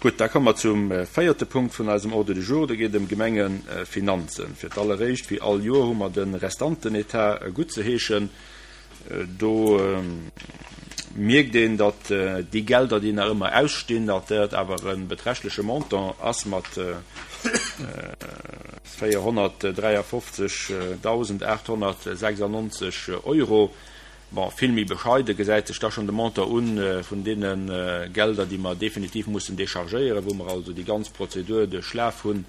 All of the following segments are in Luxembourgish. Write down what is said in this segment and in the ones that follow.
Gutt, da komme mer zum véierte Punkt vun eisem Ordre du jour. Do geet et ëm d'Gemengefinanzen. Fir d'alleréischt, wéi all Joer, hu mer de Restantenetat guttzeheeschen. Do mierkt een, datt déi Gelder, déi nach ëmmer ausstinn, datt dat awer e beträchtleche Montant ass mat 453.896 Euro. Bon, vill méi bescheide gesäit sech da schonn de Montant u vun deene Gelder, déi mer definitiv mussen déchargéieren, wou mer also déi ganz Prozedur duerchlaf hunn,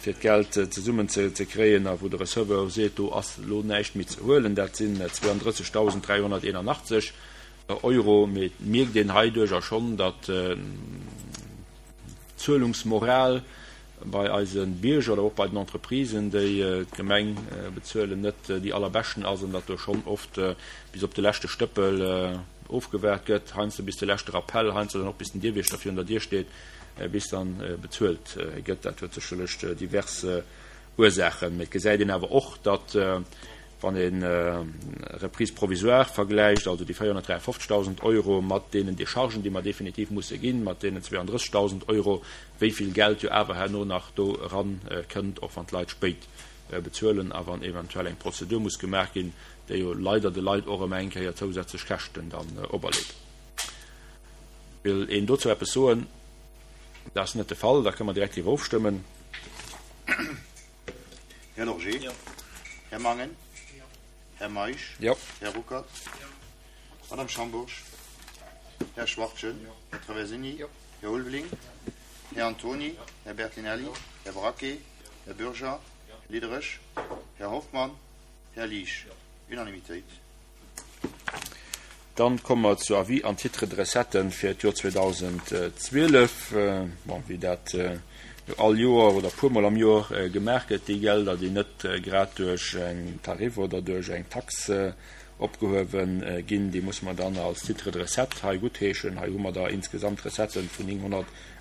fir d'Geld zesummen ze kréien a wou de Receveur seet, do ass elo näischt méi ze huelen. Dat sinn 32.381 Euro. Mee et mierkt een heiduercher schonn, datt d'Zuelungsmoral bei eise Bierger oder och bei den Entreprisen, déi d'Gemeng bezuelen, net déi allerbeschten ass an datt do schonn oft bis op de leschte Stëppel ofgewaart gëtt, heiansdo bis de leschte Rappell, heiansdo dann och bis den Dierwiechter virun der Dier steet, bis dann bezuelt gëtt. Dat huet sécherlech divers Ursaachen, mee et gesäit een awer och, datt Wann ee Reprise provisoire vergläicht, also déi 453.000 Euro mat deenen Dechargen, déi mer definitiv musse ginn, mat deenen 32.000 Euro, wéi vill Geld jo awer herno nach do eran kënnt, och wann d'Leit spéit bezuelen a wann eventuell eng Prozedur muss gemaach ginn, déi jo leider de Leit och ëmmer eng Kéier zousätzlech Käschten dann operleet. Wëll een dozou eppes soen? Dat ass net de Fall, da kënne mer direkt driwwer ofstëmmen. Här Lorgé. Jo. Här Mangen. Jo. Här Meisch. Jo. Här Ruckert. Jo. Madame Schambourg. Här Schwachtgen. Jo. Här Traversini. Jo. Här Ulveling. Här Antoni. Här Bertinelli. Här Braquet. Här Bürger. Här Diderich. Här Hoffmann. Här Liesch. Unanimitéit. Dann komme mer zu Avis an Titres de recetten fir d'Joer 2012. Bon, wéi dat jo all Joer oder e puermol am Joer gemaach gëtt, déi Gelder, déi net grad duerch eng Tarif oder duerch eng Tax opgehuewe ginn, déi musse mer dann als Titre de recette hei guttheeschen. Hei hu mer der insgesamt Recetten vun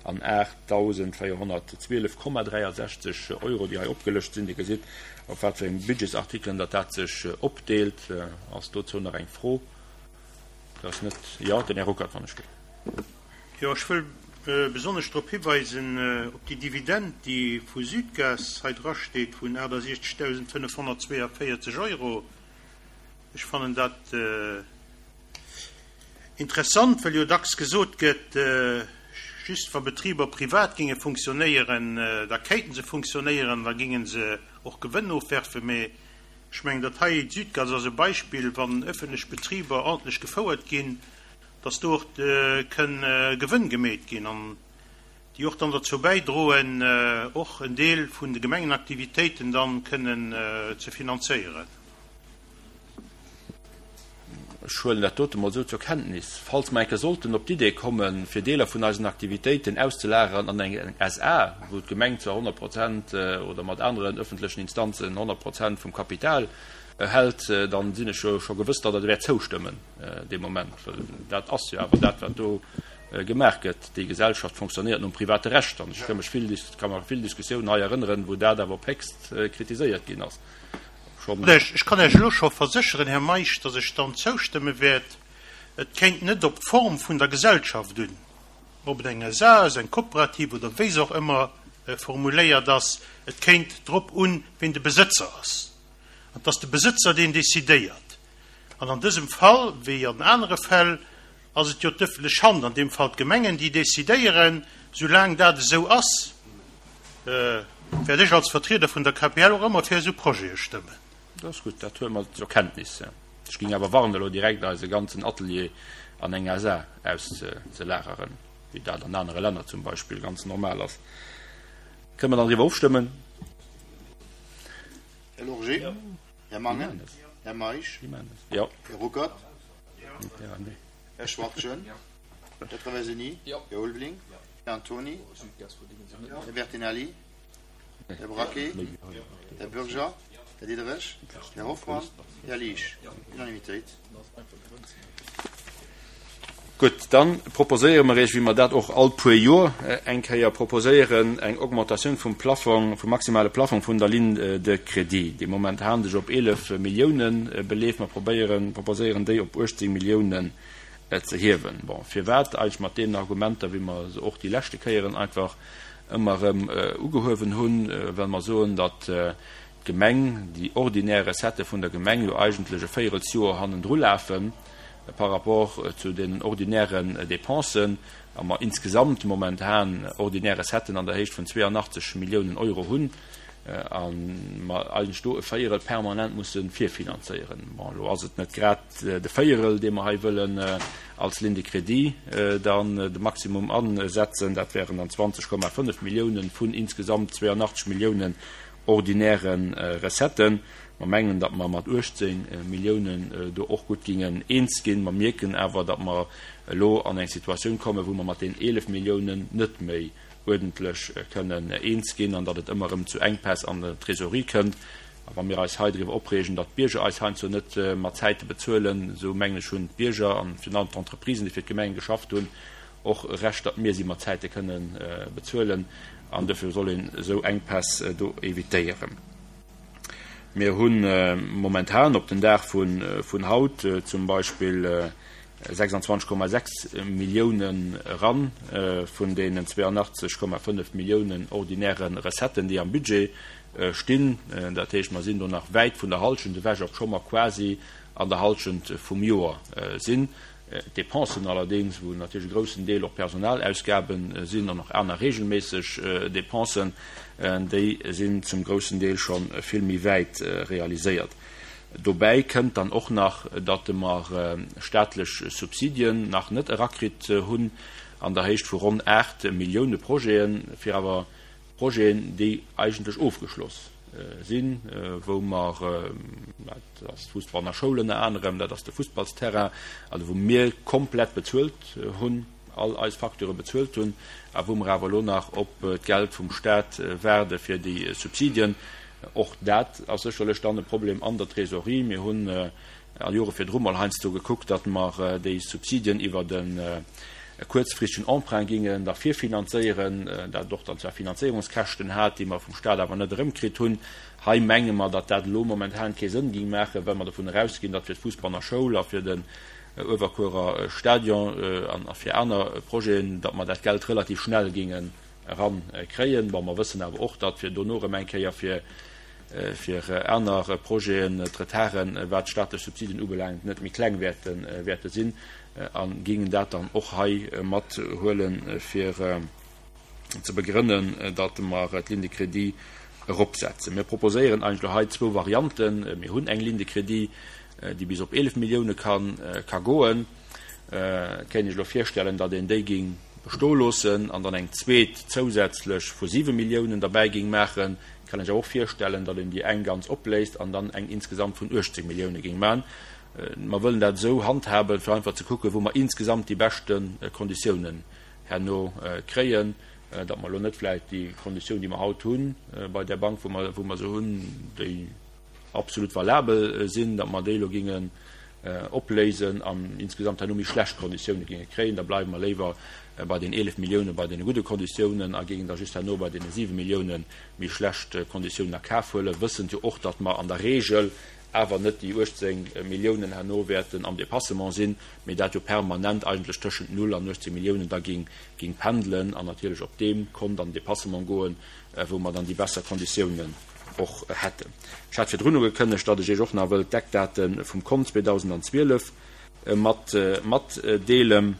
908.412,63 Euro, déi hei opgelëscht sinn. Dir gesitt, op wat fir eng Budgetsartikelen datt dat sech opdeelt. Ass dozou nach eng Fro? Dat ass net. Jo, den Här Ruckert, wann ech ginn. Jo, ech wëll besonnesch drop hiweisen, op déi Dividend, déi vu Südgas hei drasteet vun 68.542 Euro. Ech fannen dat interessant, well jo dacks gesot gëtt, just wa Betriber privat géinge funktionéieren, da kéinten se funktionéieren, da géinge se och Gewënn ofwerfen. Mee ech mengen, dat hei, d'Südgas ass e Beispill, wann öffentlech Betriber ordentlech gefouert ginn, dass do och kënn Gewënn gemeet ginn an déi och dann derzou bäidroen, och en Deel vun de Gemengenaktivitéiten dann kënnen ze finanzéieren. Ech huelen dat dote mol esou zur Kenntnis. Falls mer eng Kéier sollten op d'Idee kommen, fir Deeler vun eisen Aktivitéiten auszelageren an eng SA, wou d'Gemeng zwar 100 Prozent oder mat aneren öffentlechen Instanzen 100 Prozent vum Kapital hält, dann sinn ech jo scho gewëss, datt Der wäert zoustëmmen dee Moment. Well dat ass jo awer dat, wat do gemaach gëtt. Déi Gesellschaft fonctionnéiert nom private Recht. An ech ka mech vill, ka mer vill Diskussiounen hei erënneren, wou dat awer op héchst kritiséiert ginn ass. Schonn. Ech kann Iech elo scho versécheren, Här Meisch, datt ech dann zoustëmme wäert. Et kéint net op d'Form vun der Gesellschaft un, ob et eng SA ass, eng Kooperativ oder wéi se och ëmmer formuléiert ass. Et kéint drop un, ween de Besëtzer ass. An et ass de Besëtzer, deen decidéiert. An an dësem Fall, wéi an anere Fäll, ass et jo d'ëffentlech Hand, an deem Fall d'Gemengen, déi decidéieren. Soulaang dat esou ass, wäert ech als Vertrieder vun der KPL och ëmmer fir esou Projete stëmmen. Dat ass gutt, dat huele mer zur Kenntnis. Ech géing awer warnen, elo direkt eise ganzen Atelier an eng SA auszelageren, wéi dat an anere Länner zum Beispill ganz normal ass. Kënne mer dann driwwer ofstëmmen? Här Lorgé? Här Mangen? Här Meisch? Jo. Här Ruckert? Här Schwachtgen? Här Traversini? Här Ulveling? Här Antoni? Här Bertinelli? Här Braquet? Här Bürger? Här Diderich? Här Hoffmann? Här Liesch? Unanimitéit. Gutt, da proposéiere mer Iech, wéi mer dat och all puer Joer eng Kéier proposéieren, eng Augmentatioun vum Plafong, vum maximale Plafong vun der Ligne de crédit, déi momentan sech op 11 Milliounen beleeft. Mer probéieren, proposéieren déi op 18 Milliounen. ze hiewen. Bon, firwat eigentlech mat deenen Argumenter, wéi mer se och déi leschte Kéieren einfach ëmmer erëm ugehuewen hunn, well mer soen, datt d'Gemeng, déi ordinär Recettë vun der Gemeng jo eigentlech e Véierelsjoer hannendru lafe par rapport zu deenen ordinären Dépensen a mer insgesamt momentan ordinär Recetten an der Héicht vun 82 Milliounen Euro hunn a mer eigentlech do e Véierel permanent musse virfinanzéieren. Bon, elo ass et net grad de Véierel, dee mer hei wëllen als Ligne de crédit dann de Maximum asetzen, dat wären dann 20,5 Milliounen vun insgesamt 82 Milliounen ordinäre Recetten. Mer mengen, datt mer mat 18 Milliounen do och gutt gingen eens ginn. Mer mierken awer, datt mer elo an eng Situatioun kommen, wou mer mat deenen 11 Milliounen net méi uerdentlech kënnen eens ginn an datt et ëmmer erëm zu Enkpäss an der Trésorerie kënnt. A wa mir eis hei driwwer opreegen, datt d'Bierger eis heiansdo net mat Zäite bezuelen, esou mengen ech, hunn d'Bierger an virun allem d'Entreprisen, déi fir d'Gemenge geschafft hunn, och e Recht, datt mir si mat Zäite kënne bezuelen. An dofir soll een esou Enkpäss do evitéieren. Mir hu momentan op den Dag vun haut zum Beispill 26,6 Milliounen eran vun deenen 82,5 Milliounen ordinäre Recetten, déi am Budget stinn. Dat heescht, mer sinn do nach wäit vun der Halschent ewech, obscho mer quasi an der Halschent vum Joer sinn. D'Depensen allerdéngs, wou natierlech e groussen Deel och Personalausgabe sinn an och aner regelméisseg Depensen, déi sinn zum groussen Deel scho vill méi wäit realiséiert. Dobäi kënnt dann och nach, datt mer staatlech Subsidien nach net erakritt hunn an der Héicht vu ronn 8 Millioune Projeten, fir awer Projeten, déi eigentlech ofgeschloss sinn, wou mer, dat ass d'Fussball an der Schoul ënner anerem, dat ass de Fussballsterrain, also wou mir komplett bezuelt hunn, all eis Facturë bezuelt hunn a wou mer awer elo nach op d'Geld vum Stat waarde fir déi Subsidien. Och dat ass sécherlech dann e Problem an der Trésorerie. Mir hunn a Jore virdru mol heiansdo gekuckt, datt mer déi Subsidien iwwert e kuerzfristegen Emprunt gingen da virfinanzéieren, dat och dann zwar Finanzéierungskäschten hat, déi mer vum Stat awer net erëmkritt hunn. Hei menge mer, datt dat elo momentan kee Sënn ging maachen, well mer dovun erausginn, datt fir d'Fussbanner Schoul a fir den Uewerkuerer Stadion an a fir aner Projeten, datt mer dat Geld relativ schnell gingen erankréien. Bon, mer wëssen awer och, datt fir dono erëm eng Kéier fir fir aner Projeten d'Retarden, wat d'staatlech Subsiden ubelaangt, net méi kleng wäerte sinn a gingen dat dann och hei mathuelen, fir ze begrënnen, datt mer d'Ligne de crédit eropsetzen. Mir proposéieren eigentlech hei zwou Varianten. Mir hunn eng Ligne de crédit, déi bis op 11 Millioune ka goen. Et kéint ech elo virstellen, datt een déi géing bestoe loossen an dann eng zweet zousätzlech vu 7 Milliounen derbäi géing maachen. Et kann een sech awer och virstellen, datt een déi eng ganz opléist an dann eng insgesamt vun 18 Millioune géing maachen. Mer wëllen dat esou handhaben, fir einfach ze kucken, wou mer insgesamt déi beschte Konditiounen herno kréien, datt mer elo net vläicht déi Konditioun, déi mer haut hu bei där Bank, wou mer, wou mer se hunn, déi absolut valabel sinn, datt mer déi elo géingen opléisen an insgesamt herno méi schlecht Konditioune géinge kréien. Da bleiwe mer léiwer bei den 11 Millioune bei deene gudde Konditiounen a géingen da just herno bei deene 7 Millioune méi schlecht Konditiounen a Kaf huelen, wëssend jo och, datt mer an der Regel awer net déi 18 Milliounen herno wäerten am Dépassement sinn, mee dat jo permanent eigentlech tëschent null an 18 Milliounen da géing pendelen an natierlech op deem Kont an den Dépassement goen, wou mer dann déi besser Konditiounen och hätten. Ech hat virdrun ugekënnegt, datt ech Iech och nach wëll d'Eckdate vum Kont 2012 mat matdeelen.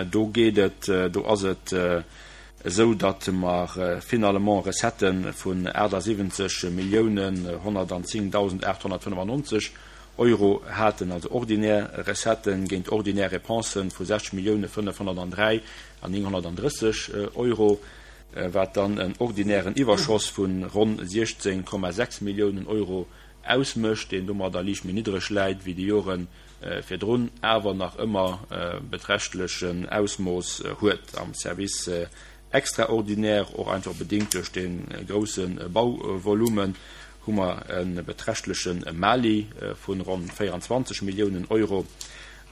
Do geet et, do ass et esou, datt mer finalement Recettë vun 78 Milliounen 110.895 Euro haten, also ordinär Recetten géint ordinär Dépensë vu 60 Millioune 503 an 930 Euro. wat dann en ordinären Iwwerschoss vu ronn 16,6 Milliounen Euro ausmécht, deen domadder liicht méi niddreg läit wéi déi Jore virdrun, awer nach ëmmer e beträchtlechen Ausmooss huet am Service extraordinaire. Och einfach bedéngt duerch dee grousse Bauvolumen hu mer e beträchtleche Mali vu ronn 24 Milliounen Euro.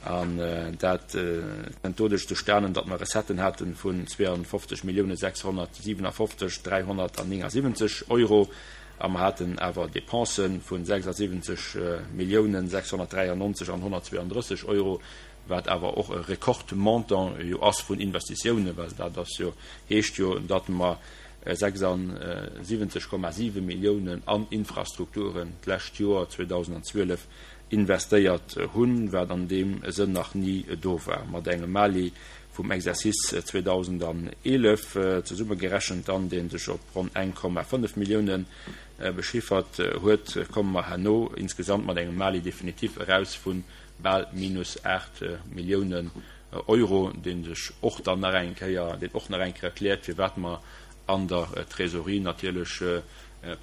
An dat kënnt doduerch zustanen, datt mer Recetten hate vun 52.657.379 Euro a mer haten awer Dépensë vu 76.693 an 132 Euro. wat awer och e Rekordmontant jo ass vun Investitiounen, well dat ass jo, heescht jo, datt mer 76,7 Milliounen an Infrastrukturen d'lescht Joer 2012 investéiert hunn, wat an deem Sënn nach ni do war. Mat engem Mali vum Exercice 2011 zesummegerechent dann, dee sech op ronn 1,5 Milliounen bechiffert huet, komme mer herno insgesamt mat engem Mali definitif eraus vu bal minus 8 Milliounen Euro, dee sech och dann nach eng Kéier, deen och nach eng Kéier erkläert, firwat mer an der Trésorerie natierlech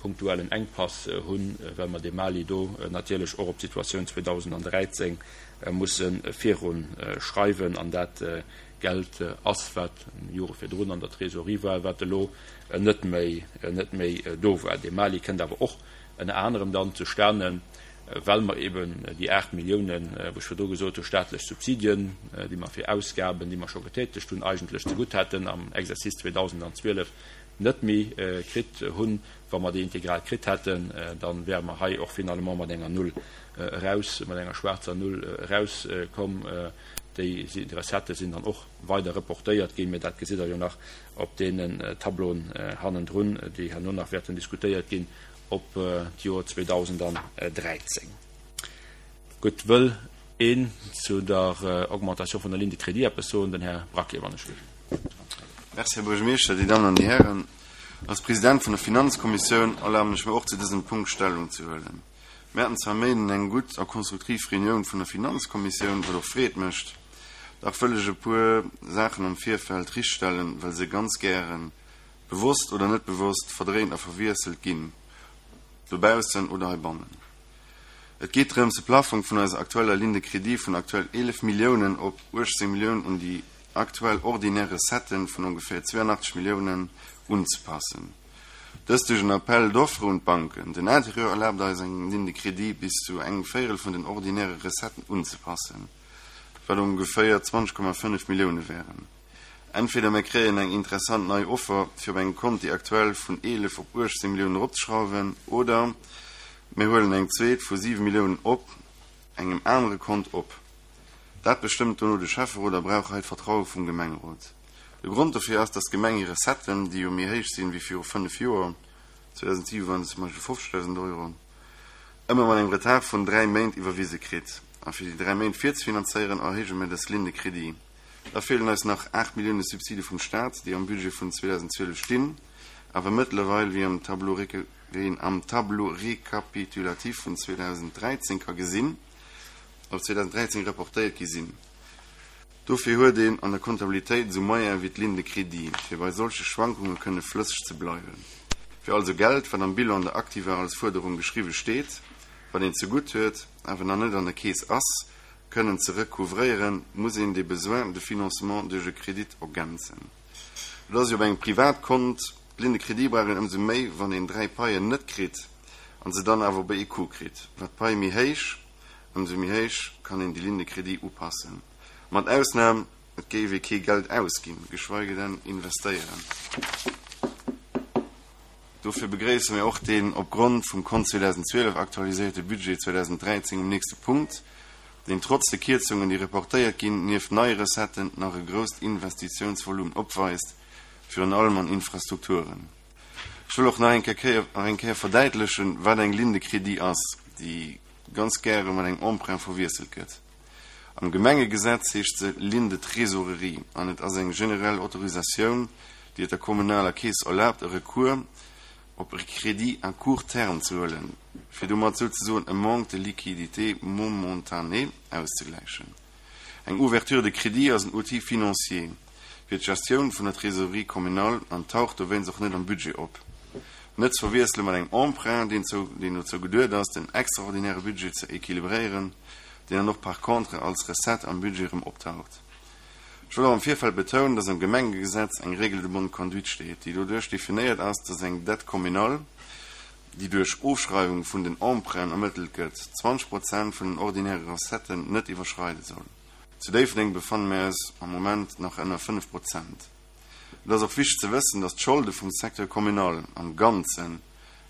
punktuell en Enkpass hunn, well mer dee Mali do natierlech och op d'Situatioun 2013 musse virunschreiwen an dat Geld ass, wat Jore virdrun an der Trésorerie war, wat elo net méi, net méi do war. Dee Mali kënnt awer och ënner anerem dann zustanen, well mer eben déi 8 Milliounen, wou ech virdru gesot hu staatlech Subsidien, déi mer fir Ausgaben, déi mer scho getätegt hunn, eigentlech zegutt hätten am Exercice 2012, net méi kritt hunn. Wa mer déi integral kritt hätten, da wäre mer hei och finalement mat enger Null eraus, mat enger schwaarzer Null erauskomm. Déi Recettë sinn dann och weider reportéiert ginn, mä dat gesitt Der jo nach op deenen Tableauen hannendrun, déi herno nach wäerten diskutéiert ginn op d'Joer 2013. Gutt, wëll een zu der Augmentation vun der Ligne de crédit eppes soen? Den Här Braquet, wann ech. Merci, Här Buergermeeschter, Dir Dammen an Dir Hären. Als President vun der Finanzkommissioun erlaben ech mir och zu dësem Punkt Stellung ze huelen. Mir haten zwar Méinden eng gutt a konstruktiv Reunioun vun der Finanzkommissioun, wat och Freed mécht. Dach wëll ech e puer Saachen am Virfeld richtstellen, well se ganz gären, bewosst oder net bewosst, verdréint a verwiesselt ginn, dobaussen oder heibannen. Et geet drëms, de Plaffong vun eiser aktueller Ligne de crédit vun aktuell 11 Milliounen op 18 Milliounen un déi aktuell ordinär Recetten vun ongeféier 82 Milliounen unzepassen. Dëst duerch en Appel d'offres un d'Banken. Den Intérieur erlaabt eis, eng Ligne de crédit bis zu engem Véierel vun den ordinäre Recetten unzepassen, wat ongeféier 20,5 Millioune wären. Entweder mir kréien eng interessant nei Offer, fir op engem Kont déi aktuell vun 11 op 18 Milliounen eropzeschrauwen, oder mir huelen eng zweet vu 7 Milliounen op engem anere Kont op. Dat bestëmmt dono de Schäfferot a brauch hei d'Vertraue vum Gemengerot. De Grond dofir ass, dass d'Gemeng hir Recetten, déi jo méi héich sinn wéi viru 5 Joer, 2007 waren et zum Beispill 50.000 Euro, ëmmer mat engem Retard vun 3 Méint iwwerwise kritt. A fir déi 3 Méint virzefinanzéieren, erhéije mir dës Ligne de crédit. Da feelen eis nach 8 Millioune Subside vum Staat, déi am Budget vun 2012 stinn, awer mëttlerweil, wéi am Tableau wéi een am Tableau récapitulatif vun 2013 ka gesinn, op 2013 reportéiert gi sinn. Dofir huet een an der Kontabilitéit esou Moyene wéi d'Ligne de crédit, fir bei solche Schwankunge kënne flësseg ze bleiwen. Fir also Geld, wat am Bilan der Aktiva als Fuerderung geschriwwe steet, wat een zegutt huet, awer nach net an der Keess ass, kënnen ze recouvréieren, muss een dee Besoin de financement duerch e Kredit ergänzen. Et ass jo op engem Privatkont. D'Ligne de crédit brauch een ëmsou méi, wann een 3 Paien net kritt an se dann awer op ee Coup kritt. Wat d'Pai méi héich, ëmsou méi héich kann een déi Ligne de crédit upassen. Mat Ausnam, et géif ee kee Geld ausginn, geschweige denn investéieren. Dofir begréisse mir och deen opgrond vum Kont 2012 aktualiséierte Budget 2013 um nächste Punkt, deen trotz de Kierzungen, déi reportéiert ginn, nieft neie Recetten nach e grousst Investitiounsvolumen opweist, virun allem an Infrastrukturen. Ech wëll och nach eng Kéier nach eng Kéier verdäitlechen, wat eng Ligne de crédit ass, déi ganz gäre mat engem Emprunt verwiesselt gëtt. Am Gemengegesetz heescht se Ligne de trésorerie an et ass eng generell Autorisatioun, déi et der kommunaler Keess erlaabt, e Recours op e Crédit à court terme ze huelen, fir domat souzesoen e Manque de liquidité momentané auszegläichen. Eng Ouverture de crédit ass en Outil financier fir d'Gestioun vun der Trésorerie communale an taucht dowéinst och net am Budget op. Net ze verwiessele mat engem Emprunt, deen dozou geduet ass, den extraordinäre Budget ze équilibréieren, deen dann och par contre als Recette am Budget erëm optaucht. Ech wëll och am Virfeld betounen, dass am Gemengegesetz eng Règle de bonne conduite steet, déi doduerch definéiert ass, dass eng Dette communale, déi duerch Ofschreiwung vun den Emprunten ermëttelt gëtt, 20 Prozent vun den ordinäre Recetten net iwwerschreide soll. Zu Déifferdeng befanne mir eis am Moment nach ënner 5 Prozent. Et ass och wichteg ze wëssen, dass d'Scholde vum Secteur communal am Ganzen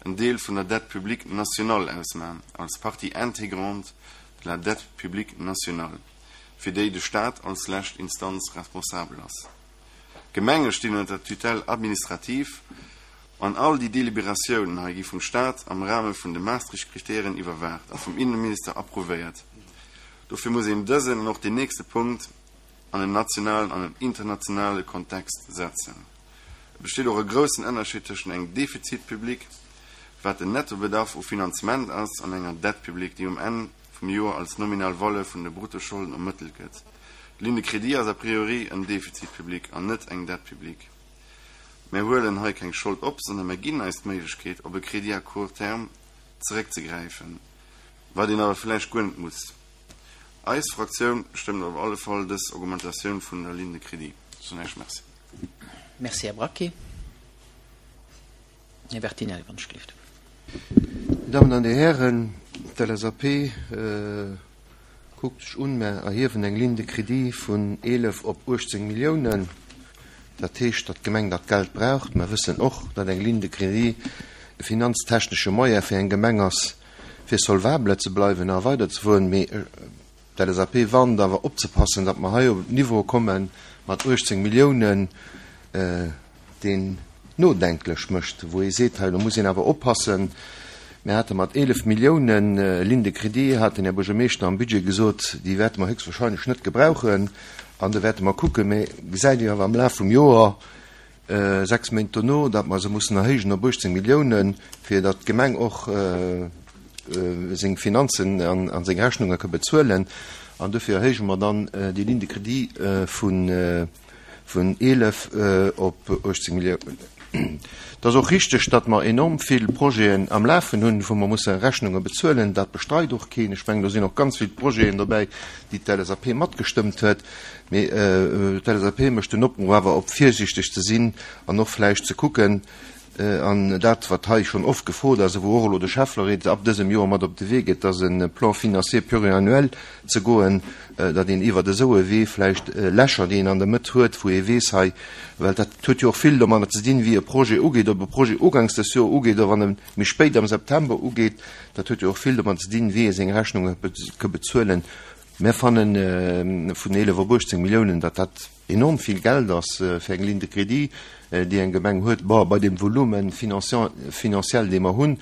en Deel vun der Dette publique nationale ausmachen, als partie intégrante de la dette publique nationale. fir déi de Staat als lescht Instanz responsabel ass. D'Gemenge stinn ënner der Tutelle administrative an all déi Deliberatiounen hei gi vum Staat am Rahme vun de Maastricht-Kritären iwwerwaacht a vum Innenminister approuvéiert. Dofir muss een dësen an och deen nächste Punkt an en nationalen an en internationale Kontext setzen. Et besteet och e groussen Ënnerscheed tëschent engem Déficit public, wat den Nettobedarf u Finanzement ass, an enger Dette publique, déi um Enn vum Joer als nominal Valeur vun de Bruttoscholden ermëttelt gëtt. D'Ligne de crédit ass a priori en Déficit public an net eng Dette publique. Mär huelen hei keng Schold op, sondern mär ginn eis d'Méiglechkeet, op e Crédit à court terme zeréckzegräifen, wat een awer vläicht guer net muss. Eis Fraktioun stëmmt op alle Fall dës Augmentatioun vun der Ligne de crédit. Soen Iech Merci. Merci, Här Braquet. Här Bertinelli, wann ech gelift. Dir Dammen an Dir Hären, d'LSAP kuckt sech un, mer erhiewen eng Ligne de crédit vun 11 op 18 Milliounen. Dat heescht, datt d'Gemeng dat Geld braucht. Mer wëssen och, datt eng Ligne de crédit e finanztechnesche Moyen fir eng Gemeng ass, fir solvable ze bleiwen a weiderzefueren. Mee D'LSAP warnt awer opzepassen, datt mer hei op en Niveau komme mat 18 Milliounen, deen nodenklech mécht, wou ee seet, hei do muss een awer oppassen. Mir hate mat 11 Milliounen Ligne de crédit, hat den Här Buergermeeschter am Budget gesot, déi wäerte mer héchstwahrscheinlech net gebrauchen an do wäerte mer kucken. Mä gesäit ee awer am Laf vum Joer, 6 Méint dono, datt mer se mussen erhéijen op 18 Milliounen, fir datt d'Gemeng och seng Finanzen a seng Rechnunge ka bezuelen. An dofir erhéije mer dann déi Ligne de crédit vun 11 op 18 Milliounen. Et ass och richteg, datt mer enorm vill Projeten am Lafen hunn, wou mer musse Rechnunge bezuelen. Dat bestreit och keen. Ech mengen, do sinn och ganz vill Projeten dobäi, déi d'LSAP matgestëmmt huet. Mee d'LSAP mécht den Opruff awer op virsiichteg ze sinn an och vläicht ze kucken, an dat wat hei schonn oft gefrot ass a wou och elo de Schäffereet ab dësem Joer mat op de Wee geet, dass e Plan financier pluriannuel ze goen, datt een iwwert esou e Wee vläicht Lächer, déi een an der Mëtt huet, wou ee weess hei, well dat huet jo och vill domadder ze dinn, wéi e Projet ugeet, ob e Projet uganks des Joer ugeet oder wann e méi spéit am September ugeet, dat huet jo och vill domadder ze dinn, wéi ee seng Rechnunge ka bezuelen. Mär fannen vun 11 op 18 Milliounen, datt dat enorm vill Geld ass fir eng Ligne de crédit, déi eng Gemeng huet. Bon, bei deem Volume financiel, dee mer hunn,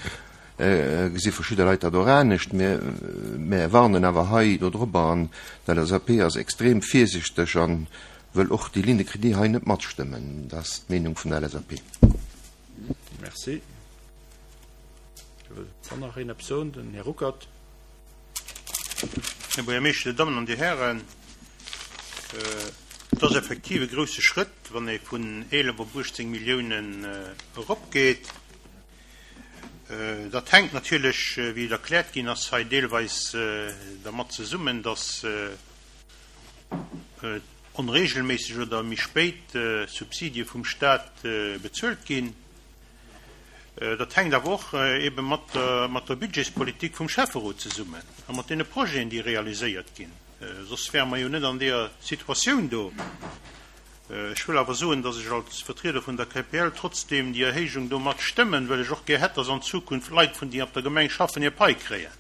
gesi verschidde Leit dat och anescht. Mär warnen awer hei dodrobber an d'LSAP ass extrem virsichteg a wëll och déi Ligne de crédit hei net matstëmmen. Dat ass d'Meenung vun der LSAP. Merci. Wëllt dann nach een eppes soen? Den Här Ruckert. Här Buergermeeschter, Dir Dammen an Dir Hären, et ass effektiv e grouse Schrëtt, wann ee vun 11 op 18 Milliounen eropgeet. Dat hänkt natierlech, wéi et erkläert ginn ass, hei deelweis dermat zesummen, dass onregelméisseg oder méi spéit Subsidie vum Stat bezuelt ginn. Dat hänkt awer och ebe mat der Budgetspolitik vum Schäfferot zesummen a mat deene Projeten, déi realiséiert ginn. Soss wäre mer jo net an deeër Situatioun do. Ech wëll awer soen, dass ech als Vertrieder vun der KPL trotzdeem déi Erhéijung do mat stëmmen, well ech och gär hätt, dass an Zukunft Leit, vun déi op der Gemeng schaffen, hir Pai kréien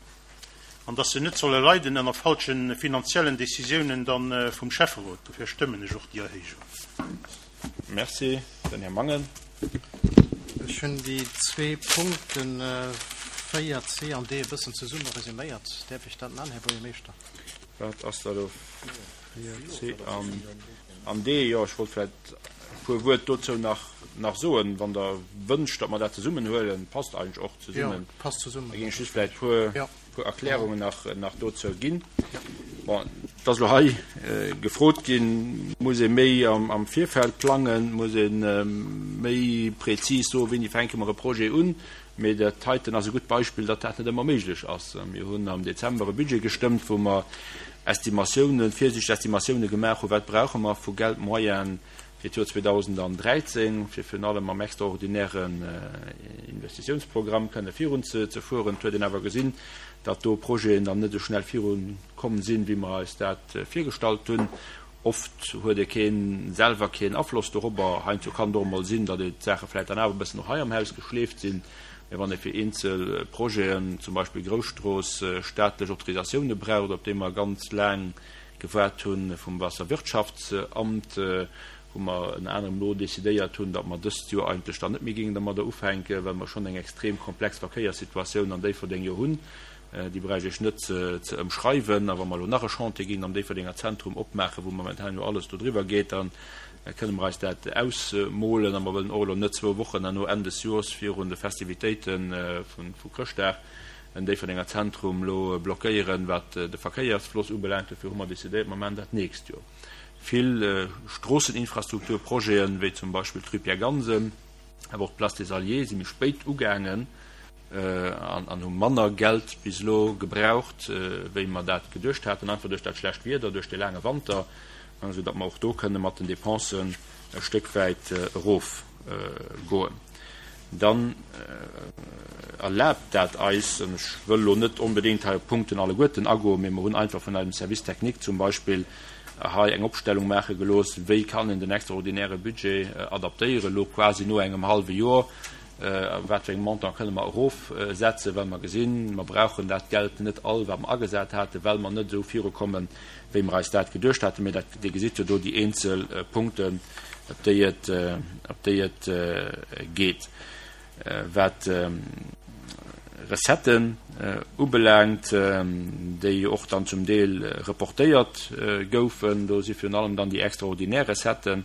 an dass se net solle leiden ënner falsche finanziellen Décisiounen da vum Schäfferot. Dofir stëmmen ech och déi Erhéijung. Merci. Den Här Mangen. Ech hunn déi zwee Punkten 4, c an d e bëssen zesumme resuméiert. Däerf ech dat man, Här Buergermeeschter? Wat ass dat elo? 4, c an d. Jo, ech wollt vläicht e puer Wuert dozou nach, nach soen, wann Der wënscht, datt mer dat zesummen huelen. Passt eigentlech och zesummen. Jo, passt zesummen. Da géing ech just vläicht e puer. puer Erklärungen nach nach dozou ginn. Bon, et ass elo hei gefrot ginn, muss ee méi am am Virfeld plangen, muss ee méi prezis soen, wéini fänke mer e Projet un. Mee dat heiten ass e gutt Beispill, datt dat net ëmmer méiglech ass. Mir hunn am Dezember e Budget gestëmmt, wou mer Estimatiounen, virsiichteg Estimatioune gemaach hunn, wat brauche mer vu Geldmoyene fir d'Joer 2013, fir virun allem mam extraordinären Investitiounsprogramm kënne virun ze fueren. Et huet een awer gesinn, datt do Projeten dann net esou schnell viru komm sinn, wéi mer eis dat virgestallt hunn. Oft huet ee keen, selwer keen Afloss dorobber. Heiansdo kann et och emol sinn, datt ee d'Saache vläicht dann awer e bëssen och hei am Haus geschleeft sinn. Mä wann ee fir eenzel Projeten, zum Beispill Grousstrooss, staatlech Autorisatioune braucht, op déi mer ganz laang. gewaart hu vum Waasserwirtschaftsamt, wou mer ënner anerem elo decidéiert hunn, datt mer dëst Joer eigentlech dann net méi géingen dermadder ufänken, well mer schonn eng extrem komplex Verkéierssituatioun an Déifferdeng jo hunn. Déi bräicht ech net ze ëmschreiwen. A wa mer elo nach e Chantier géingen am Déifferdenger Zentrum opmaachen, wou momentan jo alles do driwwer geet, da kënne mer eis dat ausmolen. A mer wëllen och elo net zwou Wochen herno Enn des Joers virun de Festivitéite vu Chrëschtdag en Déifferdenger Zentrum elo blockéieren, wat de Verkéiersfloss ubelaangt. Dofir hu mer decidéiert, mer maachen dat d'nächst Joer. Vill Stroosseninfrastrukturprojeten, wéi zum Beispill d'Rue Pierre Gansen, awer och d'Place des Alliés, si méi spéit ugaangen an hu manner Geld bis elo gebraucht, wéi mer dat geduecht haten, einfach duerch dat schlecht Wieder, duerch de laange Wanter, esou datt mer och do kënne mat den Dépensen e Stéck wäit erofgoen. Dann erlaabt dat eis, an ech wëll elo net onbedéngt hei op d'Punkten alleguerten agoen, mee mer hunn einfach vun eisem Service technique zum Beispill hei eng Opstellung maache gelooss, wéi kann een den extraordinäre Budget adaptéieren, elo quasi no engem hallwe Joer, wat fir eng Montant kënne mer erofsetzen, well mer gesinn, mer brauchen dat Geld net all, wat mer agesat haten, well mer net esou virukommen, wéi mer eis dat geduecht haten. Mee dat, Dir gesitt jo do déi eenzel Punkten, op déi et, op déi et geet. Wat Recetten ubelaangt, déi jo och dann zum Deel reportéiert goufen, do si virun allem dann déi extraordinär Recetten,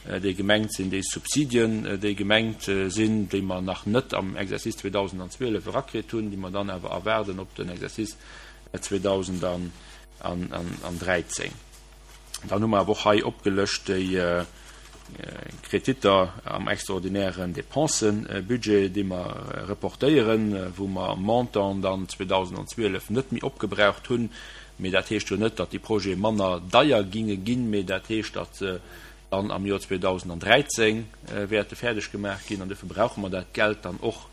déi gemengt sinn, déi Subsidien, déi gemengt sinn, déi mer nach net am Exercice 2012 erakritt hunn, déi mer dann awer erwaarden op den Exercice 2013. Dann hu mer awer och hei opgelëscht déi Kreditter am extraordinären Dépensëbudget, déi mer reportéieren, wou mer Montant dann 2012 net méi opgebraucht hunn. Mee dat heescht jo net, datt déi Projete manner deier ginge ginn, mee dat heescht, datt se dann am Joer 2013 wäerte fäerdeg gemaach ginn. An duerfir brauche mer dat Geld dann och,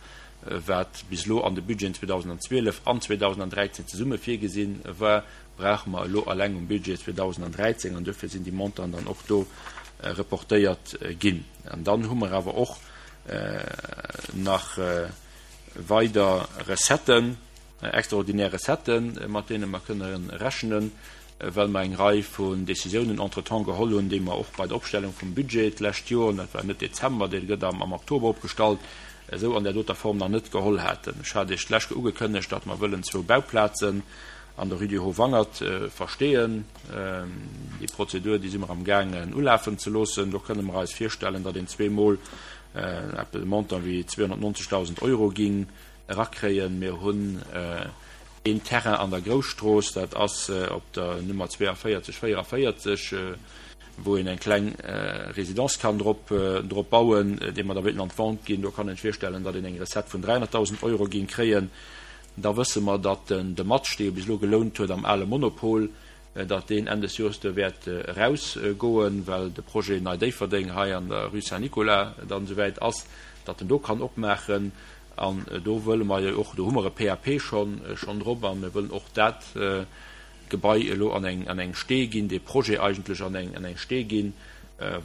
wat bis elo an de Budgeten 2012 an 2013 zesumme virgesinn war, brauche mer elo alleng um Budget 2013, an duerfir sinn déi Montanten dann och do reportéiert ginn. An dann hu mer awer och nach weider Recetten, extraordinär Recetten, mat deene mer kënne rechnen, well mer eng Rei vun Décisiounen entretemps geholl hunn, déi mer och bei der Opstellung vum Budget d'lescht Joer, an dat war net Dezember, dee gëtt am Oktober opgestallt, esou an där doter Form nach net geholl haten. Ech hat Iech d'lescht Joer ugekënnegt, datt mer wëllen zwou Bauplazen an der Rue du Haut-Wangert versteeën. Déi Prozedur, déi si mer am gaangen ulafen ze loossen. Do kënne mer eis virstellen, datt een zweemol eppes e Montant wéi 290.000 Euro géing erakréien. Mir hunn een Terrain an der Grousstrooss, dat ass op der Nummer 42, 44, wou een eng kleng Résidence kann drop drop bauen, dee mer da wéilten an d'Vente ginn. Do kann een sech virstellen, datt een eng Recette vun 300.000 Euro géing kréien. Da wësse mer, datt den de Match, dee jo bis elo gelount huet am ale Monopol, datt deen Enn des Joers do wäert erausgoen, well de Projet Nei Déifferdeng hei an der Rue Saint-Nicolas dann esouwäit ass, datt en do kann opmaachen. An do wëlle mer jo och, do hu mer e PAP schonn schonn drop a mir wëllen och dat Gebai elo an eng an eng Stee ginn, dee Projet eigentlech an eng an eng Stee ginn,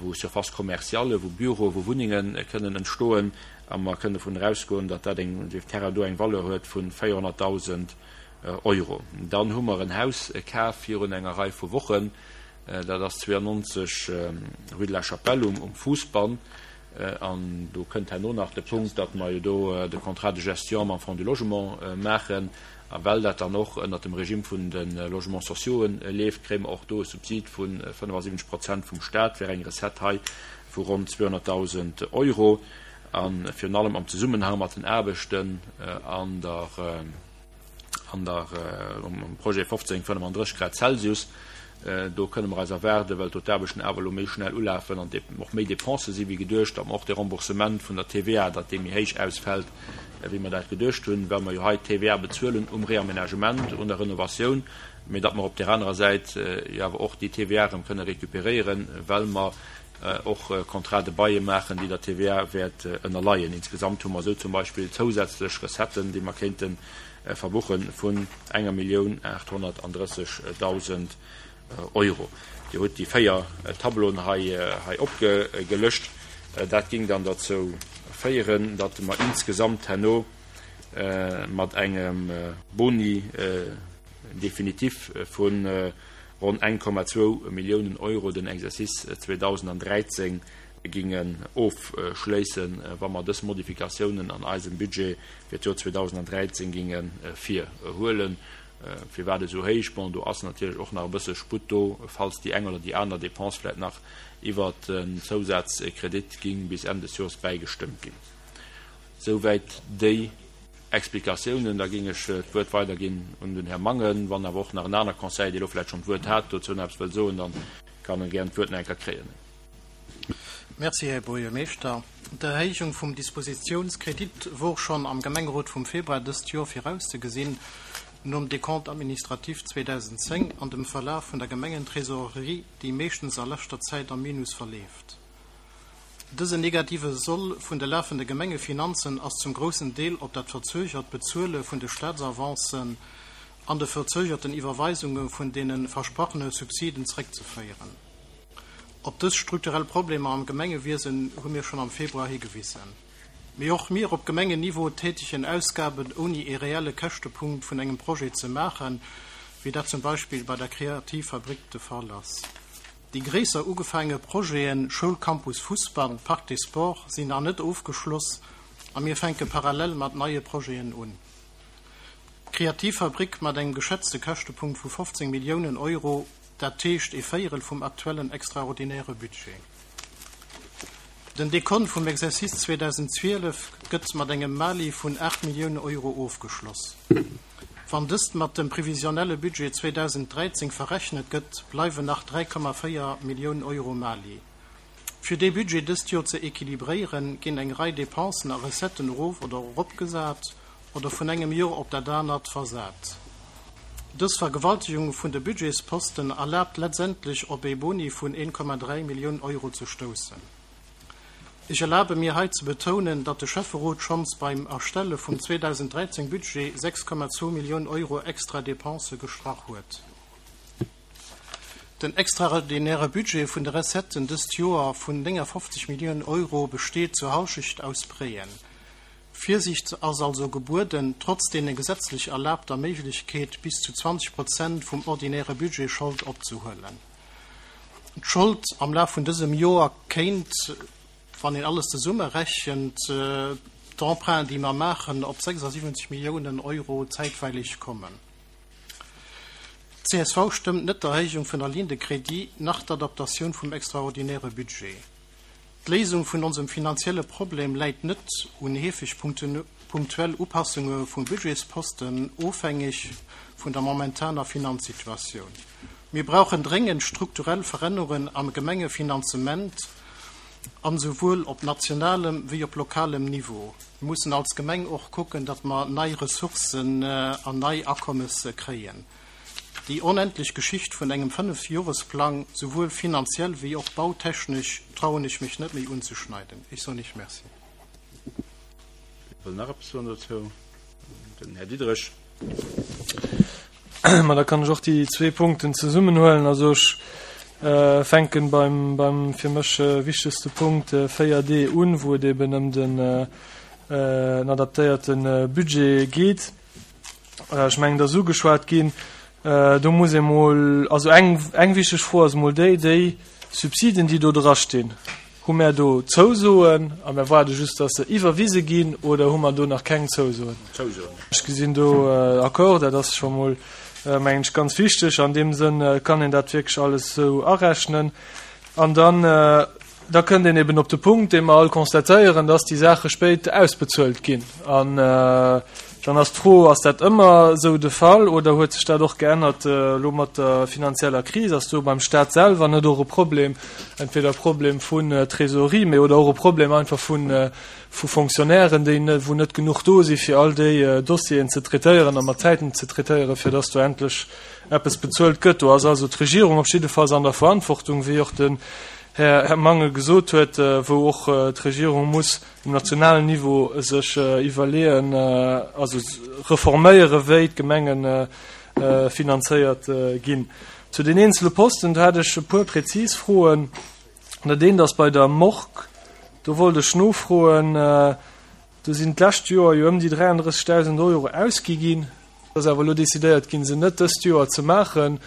wou Surfaces commerciales, wou Büroe, wou Wunnenge kënnen entstoen. A mer kënnen dovun erausgoen, datt dat eng, dee Terrain do eng Valeur huet vu 400.000 Euro. Dann hu mer en Haus kaf virun enger Rei vu Wochen, dat ass 92 rue de la Chapelle um Fousbann. An do kënnt herno nach de Punkt, datt mer jo do de Contrat de gestion mam Fonds du Logement maachen. A well dat dann och ënnert dem Regime vun de Logements sociauxen leeft, kréie mer och do e Subsid vu 75 Prozent vum Stat fir eng Recette hei vu ronn 200.000 Euro. A virun allem am Zesummenhang mat den Aarbechten an der, an der, um Projet 1535 Grad Celsius, do kënne mer eis erwaarden, well do d'Aarbechten awer elo méi schnell ulafen an och méi Dépensë si wéi geduecht, datt mer och de Remboursement vun der TVA, datt dee méi héich ausfält, wéi mer dat geduecht hunn, well mer jo hei d'TVA bezuelen um Réaménagement, un der Renovatioun, mee datt mer op där anerer Säit jo awer och déi TVA erëm kënne récupéréieren, well mer och Contrats de bail maachen, déi der TVA wäert ënnerleien. Insgesamt hu mer esou zum Beispill zousätzlech Recetten, déi mer kéinte verbuche vun enger 1.830.000 Euro. Dir hutt déi 4 Tableauen hei opgelëscht. Dat géing dann derzou féieren, datt mer insgesamt herno mat engem Boni définitif vun. ronn 1,2 Milliounen Euro den Exercice 2013 gingen ofschléissen, wa mer dës Modifikatiounen an eisem Budget fir d'Joer 2013 ginge virhuelen. Firwat esou héich? Bon, do ass natierlech och nach e bësse Sputt do, falls déi eng oder déi aner Dépense vläicht nach iwwert en Zousazkredit ging bis Enn des Joers bäigestëmmt ginn. Souwäit déi Explikatiounen. Da géing ech d'Wuert weiderginn un den Här Mangen. Wann awer och nach en aner Conseiller, dee elo vläicht schonn d'Wuert hat, dozou nach eppes wëll soen, da kann e gären d'Wuert nach eng Kéier kréien. Merci, Här Buergermeeschter. D'Erhéijung vum Dispositiounskredit wor schonn am Gemengerot vum Februar dëst Joer virauszegesinn, nom Décompte administratif 2010 an dem Verlaf vun der Gemengentrésaurerie, déi meeschtens a leschter Zäit am Minus verleeft. Dësen negative Soll vun de lafende Gemengefinanzen ass zum groussen Deel op dat verzögert Bezuele vun de Statsavancen an de verzögerten Iwwerweisunge vun deene versprachene Subsiden zréckzeféieren. Op dës strukturell Problemer am Gemengewiesen hu mir schonn am Februar higewisen. Mee och mir op Gemengenniveau tätegen Ausgaben ouni ee reelle Käschtepunkt vun engem Projet ze maachen, wéi dat zum Beispill bei der Kreativfabrik de Fall ass. Déi gréisser ugefaange Projeten, Schoulcampus Fussball, Parc des Sports, sinn nach net ofgeschloss a mir fänke parallel mat neie Projeten un. D'Kreativfabrik mat engem geschätzte Käschtepunkt vu 15 Milliounen Euro, dat heescht ee Véierel vum aktuellen extraordinäre Budget. Den Dekont vum Exercice 2012 gëtt mat engem Mali vun 8 Milliounen Euro ofgeschloss. Wann dëst mat dem previsionnelle Budget 2013 verrechnet gëtt, bleiwen nach 3,4 Milliounen Euro Mali. Fir dee Budget dëst Joer ze equilibréieren, ginn eng Rei Dépensen a Recetten erof oder eropgesat oder vun engem Joer op dat anert versat. Dës Vergewaltegung vun de Budgetsposten erlaabt letztendlech op ee Boni vun 1,3 Millioun Euro ze stoussen. Ech erlabe mir hei ze betounen, datt de Schäfferot schonns beim Erstelle vum 2013 Budget 6,2 Millioun Euro extra Dépensë gestrach huet. Den extraordinäre Budget vun de Recetten dëst Joer vun 59 Millioun Euro besteet zur Halschecht aus Prêten. Virsiicht ass also gebueden, trotz deene gesetzlech erlaabter Méiglechkeet bis zu 20 Prozent vum ordinäre Budget Schold opzehuelen. D'Schold am Laf vun dësem Joer kéint, wann een alles zesummerechent, d'Emprunten, déi mer maachen, op 76 Milliounen Euro zäitweilig kommen. D'CSV stëmmt net d'Erhéijung vun der Ligne de crédit nach d'Adaptatioun vum extraordinäre Budget. D'Léisung vun onsem finanzielle Problem läit net un heefeg punktuell Upassunge vu Budgetsposten, ofhängeg vun der momentaner Finanzsituatioun. Mir brauchen dréngend strukturell Verännerungen am Gemengefinanzement, an esouwuel op nationalem wéi op lokalem Niveau. Mir mussen als Gemeng och kucken, datt mer nei Ressourcen an nei Akommes kréien. Déi onendlech Geschicht vun engem Fënnefjoresplang, souwuel finanziell wéi och bautechnesch, trauen ech mech net méi unzeschneiden. Ech soen Iech Merci. Wie wëll nach eppes soen dozou? Den Här Diderich. Ma da kann ech och déi zwee Punkten zesummenhuelen. Also ech fänken beim, beim fir mech wichtegste Punkt 4D un, wou et eben ëm den adaptéierte Budget geet. Ech mengen, et ass ugeschwat ginn, do muss ee mol, also eng, eng wichteg Fro ass emol déi, déi Subsiden, déi do drastinn, hu mär do Zousoen a mär waarde just, dass se iwwerwise ginn, oder hu mer do nach keng Zousoen? Zousoen. Ech gesinn do Accord, dat ass scho mol, mengen ech, ganz wichteg. An deem Sënn kann een dat wierklech alles esou arechnen. An dann Da kënnt een eben op de Punkt, dee mer all constatéieren, dass déi Saache spéit ausbezuelt ginn. An dann ass d'Fro, Ass dat ëmmer esou de Fall oder huet sech dat och geännert elo mat der finanzieller Kris? Ass do beim Stat selwer net och e Problem, entweder e Problem vun Trésorerie, mee oder och e Problem einfach vu vu Fonctionnairen, déi wou net genuch do si fir all déi Dossieren ze traitéieren a mat Zäiten ze traitéieren, fir dass do endlech eppes bezuelt gëtt? Do ass also d'Regierung op jiddefalls an der Verantwortung, wéi och den Här Mangel gesot huet, wou och d'Regierung muss um nationalen Niveau sech iwwerleeën, also reforméieren, wéi d'Gemenge finanzéiert ginn. Zu den eenzele Posten, do hätt ech e puer präzis Froen. Dat eent ass bei der Morgue, do wollt ech nofroen, do sinn d'lescht Joer jo ëm déi 33.000 Euro ausgi ginn. Et ass awer elo decidéiert ginn, se net dëst Joer ze maachen.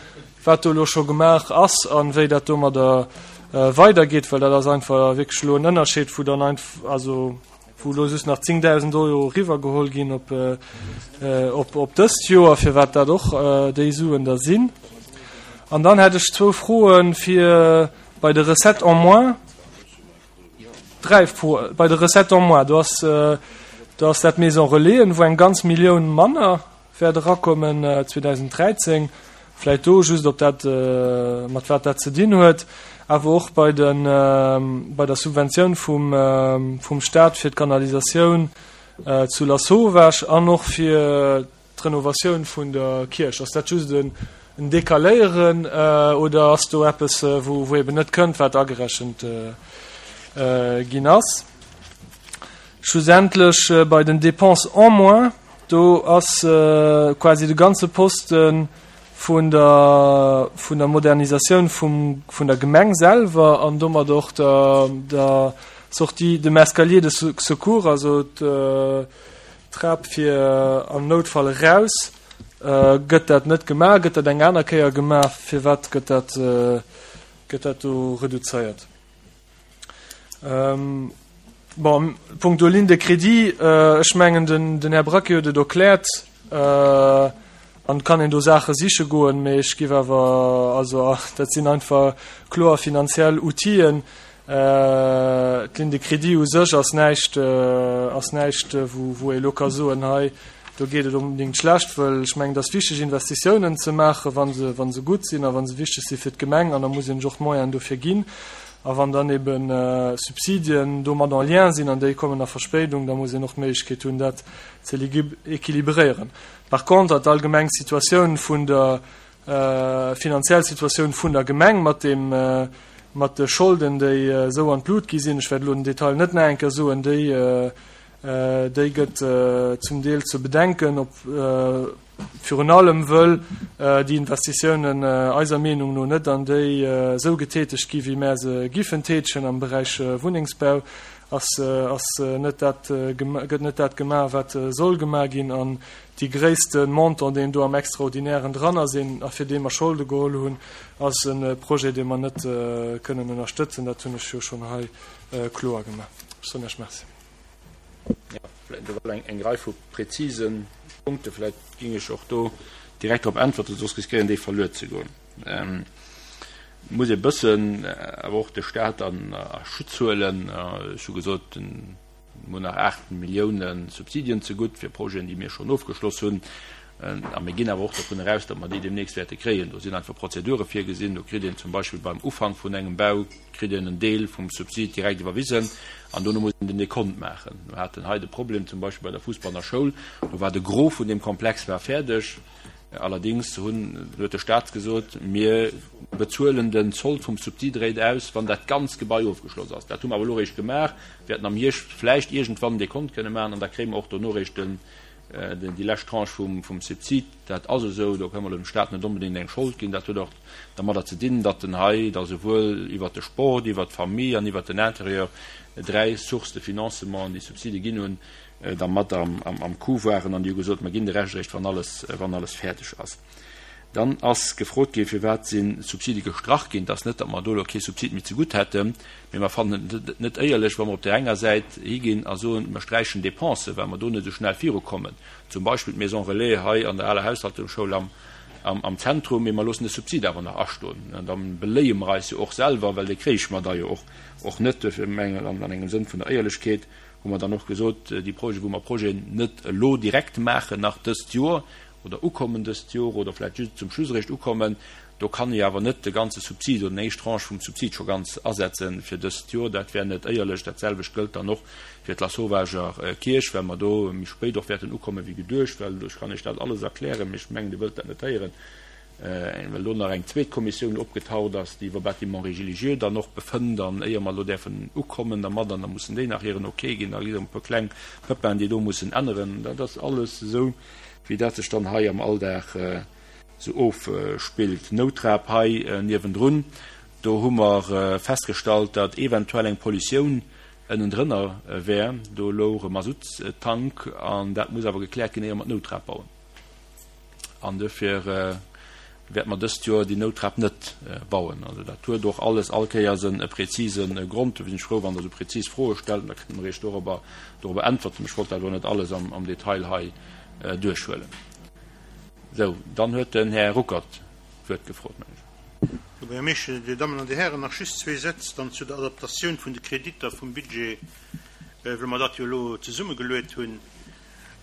wat do elo scho gemaach ass a wéi dat domadder weidergeet, well dat ass einfach wierklech elo en Ënnerscheed, wou dann einfach, also wou elo just nach 10.000 Euro eriwwergeholl ginn op, op, op dëst Joer, firwat dat och déi Suen da sinn. An dann hätt ech zwou Froe fir bei de Recettes en moins. Dräi Froe bei de Recettes en moins. Do ass, do ass dat Maison Relaisen, wou eng ganz Millioun manner wäert erakommen 2013. Vläit do just, ob dat, mat wat dat ze dinn huet. Awer och bei de, bei der Subventioun vum, vum Stat fir d'Kanalisatioun zu Lasauvage an och fir d'Renovatioun vun der Kierch. Ass dat just en Decaléieren oder ass do eppes, wou, wou eben net kënnt, wat agerechent ginn ass? Schlussendlech bei den Dépenses en moins, Do ass quasi de ganze Poste vun der, vun der Modernisatioun vum, vun der Gemeng selwer an domat och der, der Sortie, dem Escalier de secours, also d'Trap fir am Noutfall eraus. Gëtt dat net gemaach? Gëtt dat eng aner Kéier gemaach? Firwat gëtt dat, gëtt dat do reduzéiert? Bon, punkto Ligne de crédit, ech mengen, den Här Braquet huet et erkläert, an et kann een do Saache siche goen, mee ech géif awer, also dat sinn einfach kloer finanziell Outiller. D'Ligne de crédit u sech ass näischt, ass näischt, wou ee elo ka soen, hei do geet et onbedéngt schlecht, wëll ech mengen, et ass wichteg Investitiounen ze maachen, wa se, wa se gutt sinn a wa se wichteg si fir d'Gemeng, an da muss een sech och d'Moyenen dofir ginn. A wann dann ebe Subsidien domat en lien sinn an déi kommen a Verspéidung, da muss een och d'Méiglechkeet hunn, dat ze équilibréieren. Par contre, d'allgemeng Situatioun vun der finanziell Situatioun vun der Gemeng mat deem, mat de Scholden, déi esou an d'Lut gi sinn, ech wäert elo den Detail net nach eng Kéier soen, déi, déi gëtt zum Deel ze bedenken, ob, Virun allem wëll déi Investitiounen eiser Meenung no net an déi esou getätegt gi wéi mär se giffen tätegen. Am Beräich Wunnengsbau ass ass net dat gëtt net dat gemaach wat soll gemaach ginn an déi gréisste Montant deen do am Extraordinären dran ass een a fir dee mer Scholde geholl hunn ass e Projet dee mer net kënnen ënnerstëtzen. Dat hunn ech jo schonn hei kloer gemaach. Ech soen Iech Merci. Do war eng Rei vu präzise Punkte. Vläicht géing ech och do direkt drop äntwerten, soss riskéieren déi verluer ze goen. Et muss ee bëssen awer och de Stat a Schutz huelen. Ech hu gesot, mir hunn nach 8 Millioune Subsidien zegutt fir Projeten, déi mir schonn ofgeschloss hunn. A mir ginn awer och dovun eraus, datt mer déi deemnächst wäerte kréien. Do sinn einfach Prozedure virgesinn. Do kritt een zum Beispill beim Ufank vun engem Bau kritt een en Deel vum Subsid direkt iwwerwisen an dono muss een den Dekont maachen. Mir haten hei de Problem zum Beispill bei der Fussbanner Schoul, do war de Gros vun deem Komplex war fäerdeg, allerdéngs hunn, huet de Stat gesot, mir bezuelen den Sold vum Subsid eréischt aus, wann dat ganzt Gebai ofgeschloss ass. Dat hu mer awer elo eréischt gemaach, wäerten am Hierscht vläicht iergendwann en Dekont kënne maachen an da kréie mer och dono eréischt den, déi lescht Tranche vum Subsid. Dat ass esou, do kënne mer dem Stat net onbedéngt eng Schold ginn. Dat huet och dermadder ze dinn, datt en hei da souwuel iwwert de Sport, iwwert d'Famille an iwwert den Intérieur dräi Sources de financement, déi Subside ginn hunn, da mat am Coup waren an déi hu gesot, mer ginn de Rescht eréischt, wann alles, wann alles fäerdeg ass. Dann ass gefrot ginn, firwat si Subside gestrach ginn. Et ass net, datt mer do elo kee Subsid méi zegutt hätten, mee mer fannen et net éierlech, wa mer op där enger Säit higinn a soen, mer sträichen Dépensen, well mer do net esou schnell virukommen, zum Beispill d'Maison relais hei an der aler Haushaltungsschoul am Zentrum, mee mer loossen de Subsid awer nach astoen. An da beléie mer eis jo och selwer, well dee kréich mer da jo och net. Duerfir mengen, an engem Sënn vun der Éierlechkeet, hu mer dann och gesot, déi Projeten, wou mer Projeten net elo direkt maachen, nach dëst Joer, oder ukommen dëst Jor oder vläicht just zum Schluss eréischt ukommen. Do kann ee awer net de ganze Subsid oder déi éischt Tranche vum Subsid scho ganz asetze fir dëst Jor. Dat wär net éierlech. Dat selwecht gëllt dann och fir d'Lassauvager Kierch, well mer do méi spéit och wäerten ukomme wéi geduecht. Well ech kann Iech dat alles erklären, mee ech mengen, Dir wëllt dat net héieren, well do nach eng zweet Kommissioun opgetaucht ass, déi iwwer Bâtiments religieux dann och befënnt. An éier mer elo däerfen ukommen dermat, an da mussen déi nach hiren Ok ginn, da gi et e puer kleng Pëppin, déi do mussen änneren. Dat ass alles esou. wéi dat sech dann hei am Alldag sou ofspillt. D'Nouttrap hei niewendrun, do hu mer festgestallt, datt eventuell eng Pollutioun ënnendrënner wär. Do louch e Masuttstank an dat muss awer gekläert ginn, éier mer d'Nouttrap bauen. An duerfir. Wäerte mer dëst Joer déi Nouttrap net bauen. Also dat huet och alles all Kéiers e präzise Grond. Dofir sinn ech frou, wann Der esou präzis Froe stellt, da kënne mer Iech dorobber dorobber äntwerten. Ech wollt dat elo net alles am am Detail hei duerchhuelen. Sou, dann huet den Här Ruckert d'Wuert gefrot, meng ech. Här Buergermeeschter, Dir Dammen an Dir Hären, nach just zwee Sätz dann zu der Adaptatioun vun de Kreditter vum Budget, well mer dat jo elo zesummegeluet hunn.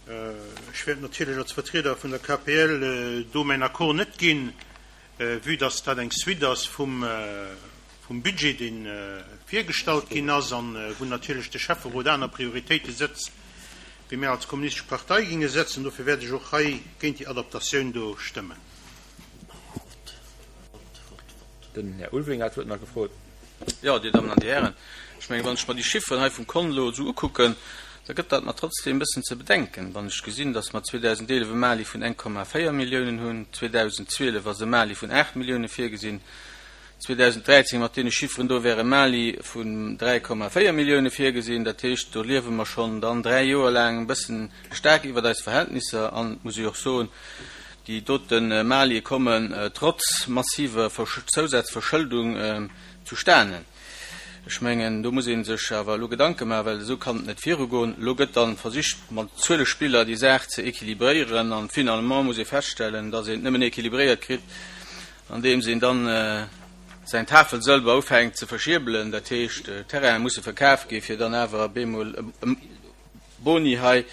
Ech wäert natierlech als Vertrieder vun der KPL do mäin Accord net ginn, vue dass dat eng Suite ass vum Budget, dee virgestallt ginn ass an wou natierlech de Schäfferot aner Prioritéite setzt, wéi mär als Kommunistesch Partei ginge setzen. Dofir wäert ech och hei géint déi Adaptatioun do stëmmen. Den Här Ulveling hat d'Wuert nach gefrot. Jo, Dir Dammen an Dir Hären, ech mengen, wann ech mer déi Chifferen hei vum Kont elo esou ukucken, da gëtt dat mer trotzdem e bëssen ze bedenken, wann ech gesinn, dass mer 2011 e Mali vun 1,4 Milliounen hunn, 2012 ass e Mali vun 8 Milliounen virgesinn, 2013 mat deene Chifferen do wär e Mali vun 3,4 Milliounen virgesinn. Dat heescht, do liewe mer schonn dann dräi Joer laang e bëssen staark iwwert eis Verhältnisser an, et muss ee jo och soen, Déi dote Malie kommen trotz massiver Zousazverschëldung zustanen. Ech mengen, do muss ee sech awer elo Gedanke maachen, well esou kann et net virugoen. Elo gëtt dann versicht, mat Zuelespiller déi Saach ze équilibréieren an finalement muss ee feststellen, dass een et nëmmen équilibréiert kritt, andeems een dann säin Tafelsëlber ufänkt ze verschierbelen, dat heescht, Terrainen musse verkaf gi fir dann awer op eemol e Boni hei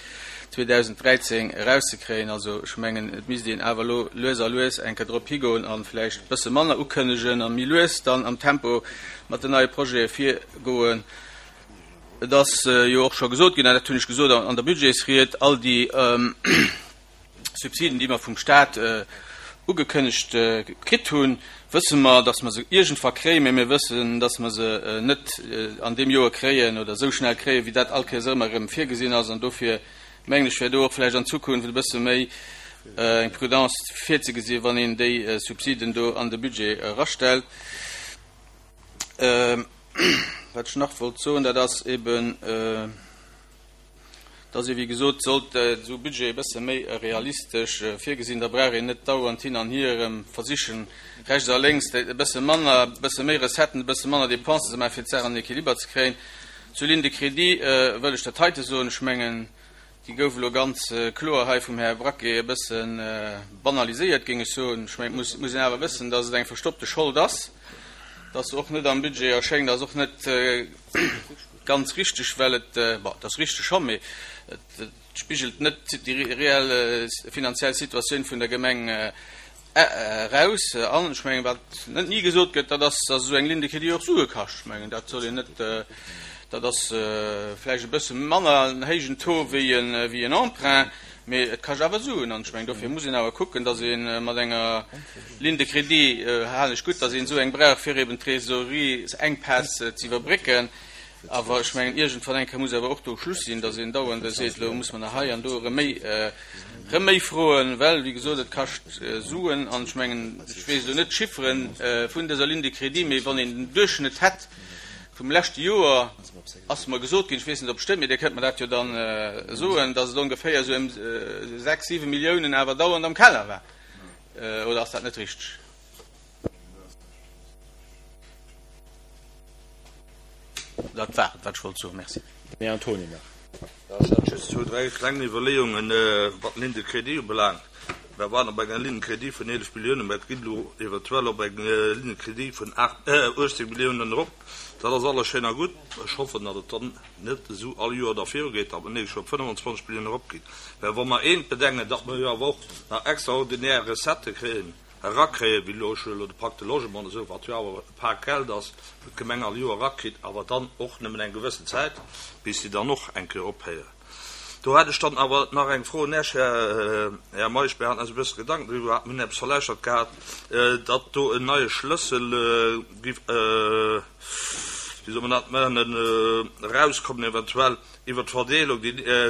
2013 erauszekréien. Also ech mengen, et misst een awer elo lues a lues eng Kéier drop higoen a vläicht e bësse manner ukënnegen a méi lues dann am Tempo mat den neie Projete virgoen. Et ass jo och scho gesot ginn, an dat hunn ech gesot an der Budgetsried, all déi Subsiden, déi mer vum Stat ugekënnegt kritt hunn, wësse mer, datt mer se iergendwa kréien, mä mir wëssen, datt mer se net an deem Joer kréien oder esou schnell kréien, wéi dat all Kéiers ëmmer erëm virgesinn ass. An dofir mengen ech, wär do och vläicht an Zukunft e bësse méi eng Prudence virzegesinn, wann een déi Subsiden do an de Budget erastellt. Wat ech nach wollt soen, dat ass eben, dass ee wéi gesot sollt esou Budget e bësse méi realistesch virgesinn, da brauch een net dauernd hin an hier erëm versichen, rechts a lénks e bësse manner, e bësse méi Recetten, e bësse manner Dépensen ze maachen, fir d'Saach an den Équiliber ze kréien. Zur Ligne de crédit wëll ech dat heite soen, Ech mengen, déi gouf elo ganz kloer hei vum Här Braquet e bësse banaliséiert, géing ech soen. Ech mengen, et muss een awer wëssen, dass et eng verstoppte Schold ass, dass se och net am Budget erschéngt, ass och net Ganz richteg, well et, bon, et ass richteg scho, mee et spigelt net déi reell finanziell Situatioun vun der Gemeng eraus. An ech mengen, wat net ni gesot gëtt, dat ass, dass esou eng Ligne de crédit och Sue kascht. Ech mengen, dat soll een net, dat ass vläicht e bësse manner en héijen Taux wéi en Emprunt, mee et kascht awer Suen. An ech mengen, dofir muss een awer kucken, dass ee mat enger Ligne de crédit, halen ech gutt, dass een esou eng brauch, fir eben d'Trésorierienkpäss ze iwwerbrécken. Awer ech mengen, iergendwann eng Kéier muss awer och do Schluss sinn, dass een dauernd seet, elo muss mer nach hei an do erëm méi, erëm méi froen, well, wéi gesot, et kascht Suen. An ech mengen, ech weess elo net d'Chiffere vun dëser Ligne de crédit, mee wann een den Duerchschnëtt hätt vum leschte Joer, ass mer gesot ginn, ech weess net, ob et stëmmt, mee Dir kënnt mer dat jo dann soen, dass et ongeféier esou ëm sechs, siwe Milliounen awer dauernd am Keller war. Oder ass dat net richteg? Dat war et, wat ech wollt soen. Merci. Den Här Antoni nach. Jo, ech hat just zwou, dräi kleng Iwwerleeungen, wat d'Ligne de crédit ubelaangt. Mir waren op enger Ligne de crédit vun 11 Milliounen, mä et ginn elo eventuell op eng Ligne de crédit vun 18 Milliounen erop. Dat ass alles schéin a gutt. Ech hoffen, datt et dann net esou all Joer da virugeet, datt mer d'nächst Joer op 25 Milliounen eropginn. Mä wa mer eent bedenken, datt mer jo awer och nach extraordinär Recettë kréien, erakréien, wéi elo, ech huelen elo de Pacte Logement oder esou, wat jo awer e Pak Geld ass, wou d'Gemeng all Joer erakritt, awer dann och nëmmen eng gewëssen Zäit, bis déi dann och eng Kéier ophéieren. Do hätt ech dann awer nach eng Fro un Iech, Här Meisch. Mir haten eis e bësse Gedanken driwwer gemaach, mir hunn eppes verlauschtert gehat, datt do en neie Schlëssel giff, wéi soll mer dat nennen, erauskommen eventuell iwwert d'Verdeelung,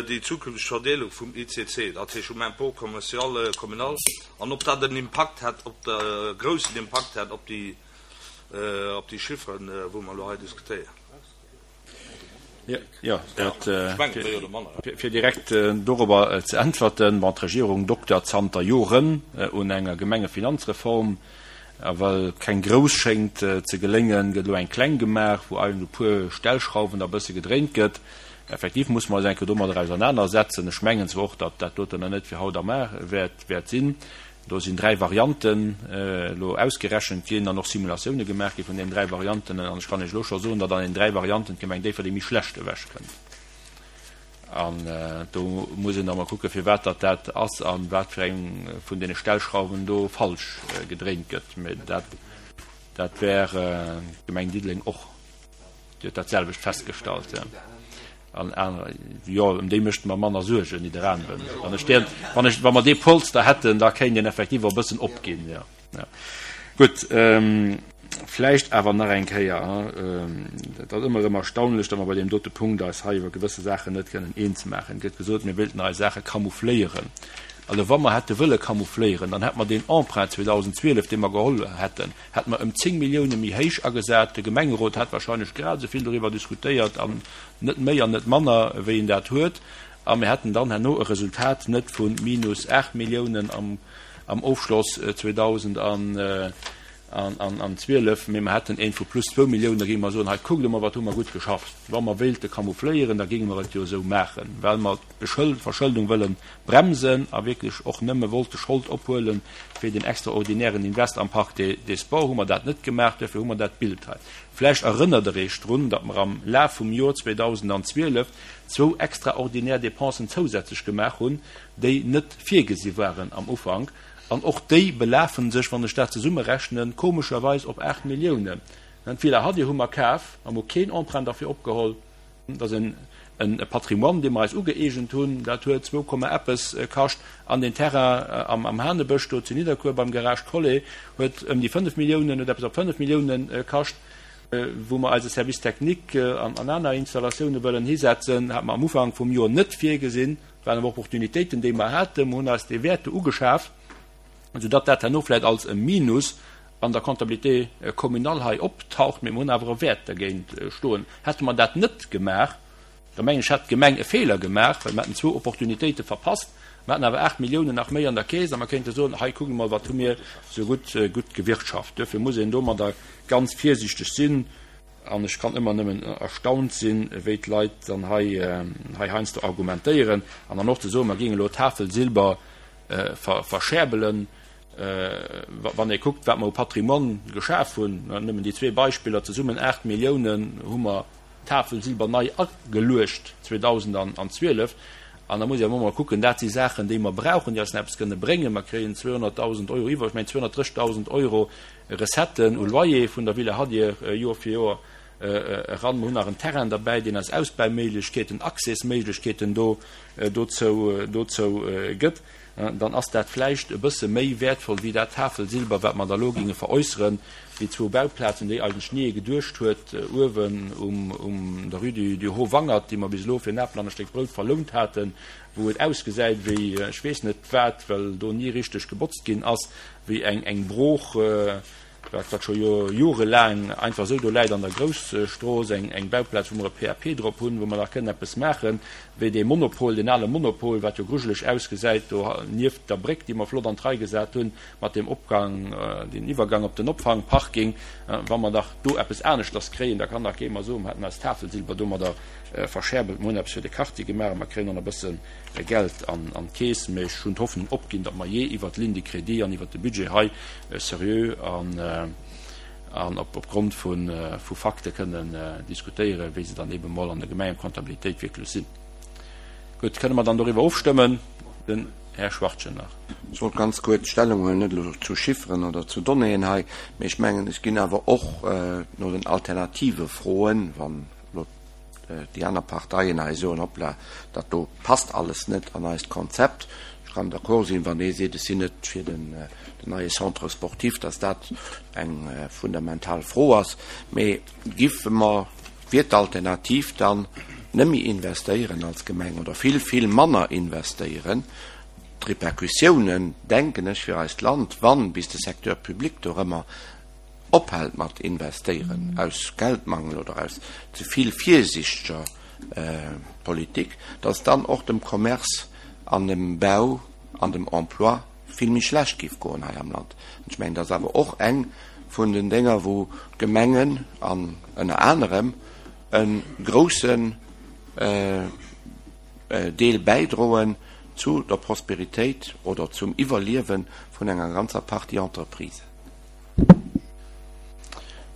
déi zukünfteg Verdeelung vum ICC, dat heescht vum Impôt commercial communal, an ob dat en Impakt hätt op de, groussen Impakt hätt op déi, op déi Chifferen, wou mer elo hei diskutéieren. Jo, dat, fir direkt dorobber ze äntwerten, Bon, d'Regierung doktert zanter Joren un enger Gemengefinanzreform. A well keng grouss schéngt ze geléngen, gëtt elo eng kleng gemaach, wou eigentlech u puer Stellschrauwen da bësse gedréint gëtt. Effektiv musse mer eis eng Kéier domadder ausernanersetzen. Ech mengen zwar och, datt dat doten nach net fir haut a mar wäert sinn. Do sinn 3 Varianten elo ausgerechent ginn an och Simulatioune gemaach gi vun deenen 3 Varianten. An ech kann Iech elo scho soen, datt an den 3 Varianten d'Gemeng Déifferdeng méi schlecht ewechkënnt. An do muss een da mol kucken, firwat datt dat ass a wat fir eng vun deene Stellschrauwen do falsch gedréint gëtt. Mä dat, dat wär d'Gemeng Diddeleng och. Déi huet dat selwecht festgestallt. An anerer, jo, ëm déi mécht mer manner Suergen, Nidderaanwen. Wann ech deen, wann ech, wa mer dee Polster hätten, da kéint een effektiv och e bëssen opginn, jo. Ja. Gutt, vläicht awer nach eng Kéier, et ass ëmmer erëm erstaunlech, datt mer bei deem dote Punkt eis hei iwwer gewësse Saachen net kënnen eens maachen. Et gëtt gesot, mir wéilten eis Saache camoufléieren. Also wa mer hätte wëlle camoufléieren, dann hätte mer deen Emprunt 2012, dee mer geholl hätten, hätte mer ëm 10 Millioune méi héich agesat. De Gemengerot hätt wahrscheinlech grad esou vill doriwwer diskutéiert an net méi an net manner, wéi en dat huet. A mir hätten dann herno e Resultat net vu minus 8 Milliounen am Ofschloss 2012, mee mer hätten eent vu plus zwou Milliounen. Da géinge mer soen, hei kuckt emol, wat hu mer gutt geschafft. Wa mer wéilte camoufléieren, da géinge mer et jo esou maachen, well mer d'Verschëldung wëlle bremsen a wierklech och nëmme wollte Schold ophuelen fir den extraordinären Invest am Parc des Sports, hu mer dat net gemaach. Duerfir hu mer dat Bild hei. Vläicht erënnert Der Iech drun, datt mer am Laf vum Jor 2012 zwou extraordinär Dépensen zousätzlech gemaach hunn, déi net virgesi waren am Ufank. An och déi belafe sech, wann ech dat zesummerechnen, komescherweis op 8 Milliounen. D'Villa Hadir hu mer kaf, mer hu keen Emprunt derfir opgeholl. Dat ass e Patrimoine, dee mer eis ugëeegent hunn. Dat huet zwou Komma eppes kascht. An deen Terrain am Hanebësch do zu Nidderkuer beim Garage Collet huet ëm déi 5 Milliounen, huet eppes op 5 Milliounen kascht. Wou mer eise Service technique an aner Installatioune wëllen hisetzen, hat mer am Ufank vum Joer net virgesinn. Dat waren awer Opportunitéiten, déi mer haten. Mer hunn eis dee Wäert do ugeschaf, soudatt dat herno vläicht als e Minus an der Comptabilité communale hei optaucht, mee mer hunn awer e Wäert dergéint stoen. Hätte mer dat net gemaach, da mengen ech, hätt d'Gemeng e Feeler gemaach, well mer hätten zwou Opportunitéite verpasst. Mer hätten awer 8 Milliounen nach méi an der Keess a mer kéinte soen, hei kuckt emol, wat hu mir esou gutt, gutt gewirtschaft. Duerfir muss een domadder ganz virsiichteg sinn an ech kann ëmmer nëmmen erstaunt sinn, wéi d'Leit dann hei, hei heiansdo argumentéieren an dann och ze soen, mer géingen elo Tafel Silber verscherbelen. Wann ee kuckt, wat mer u Patrimoine geschaf hunn, nëmmen déi zwee Beispiller, zesummen 8 Milliounen hu mer d'Tafel Silber nei ageluecht 2012. An da muss ee awer och mol kucken, dat si Saachen, déi mer brauchen, déi eis nach eppes kënne bréngen. Mer kréien 200.000 Euro iwwer, ech mengen 230.000 Euro Recetten u Loyer vun der Villa Hadir Joer fir Joer eran. Mer hunn nach en Terrain derbäi, deen eis Ausbauméiglechkeeten, Accèsméiglechkeeten do dozou dozou gëtt. Dann ass dat vläicht e bësse méi wäertvoll wéi dat Tafelsilber, wat mer da elo géinge veräusseren, déi zwou Bauplazen, déi eigentlech ni ee geduecht huet, uewen um um der Rue du du Haut Wangert, déi mer bis elo fir en Apel an e Stéck Brout verlount haten, wou et ausgesäit wéi ech weess net wat, well do ni richteg gebotzt ginn ass, wéi eng eng Brooch. Wat wat scho jorelaang einfach esou do läit an der Grousstrooss, eng eng Bauplaz, wou mer e PAP drop hunn, wou mer nach kënnen eppes maachen, wéi dee Monopol, deen ale Monopol, wat jo grujeleg ausgesäit do nieft der Bréck, déi mer flott an d'Rei gesat hunn, mat deem Opgang, deen Iwwergang op den Opfangparking. Wa mer dach do eppes aneschters kréien, da kann dach kee mer soen, mer hätten eis Tafelsilber domadder verscherbelt. Mer hunn eppes fir de Quartier gemaach a mer kréien och nach e bësse Geld an d'Keess. Mee ech hunn d'Hoffnung opginn, datt mer jee iwwert d'Ligne de crédit an iwwert de Budget hei seriö an opgrond vu Fakte kënnen diskutéieren, wéi se dann eebe mol an der Gemengekontabilitéit wierklech sinn. Gutt, kënne mer dann doriwwer ofstëmmen? Den Här Schwachtgen nach. Ech wollt ganz kuerz Stellung huelen, net elo zu Chifferen oder zu Donnéeën hei, mee ech mengen, ech ginn awer och no den Alternative froen, wann elo déi aner Parteien hei soen, Hoppla, dat do passt alles net an eist Konzept. Ech kann d'accord sinn, wann ee seet, ech sinn net fir den neie Centre sportif, dass dat eng fundamental Fro ass. Mee giffe mer, wier d'Alternativ dann, net méi investéieren als Gemeng oder vill, vill manner investéieren? D'Repercussiounen, denken ech, fir eist Land, wann bis de Secteur public dorëmmer ophält mat investéieren, aus Geldmangel oder aus ze vill virsiichteger. Politik, datt dann och dem Commerce an dem Bau an dem Emploi vill méi schlecht géif goen hei am Land. An ech mengen, dat ass awer och eng vun den Dénger, wou d'Gemengen an ënner anerem e groussen Deel bäidroen zu der Prosperitéit oder zum Iwwerliewe vun enger ganzer Partie Entreprisen.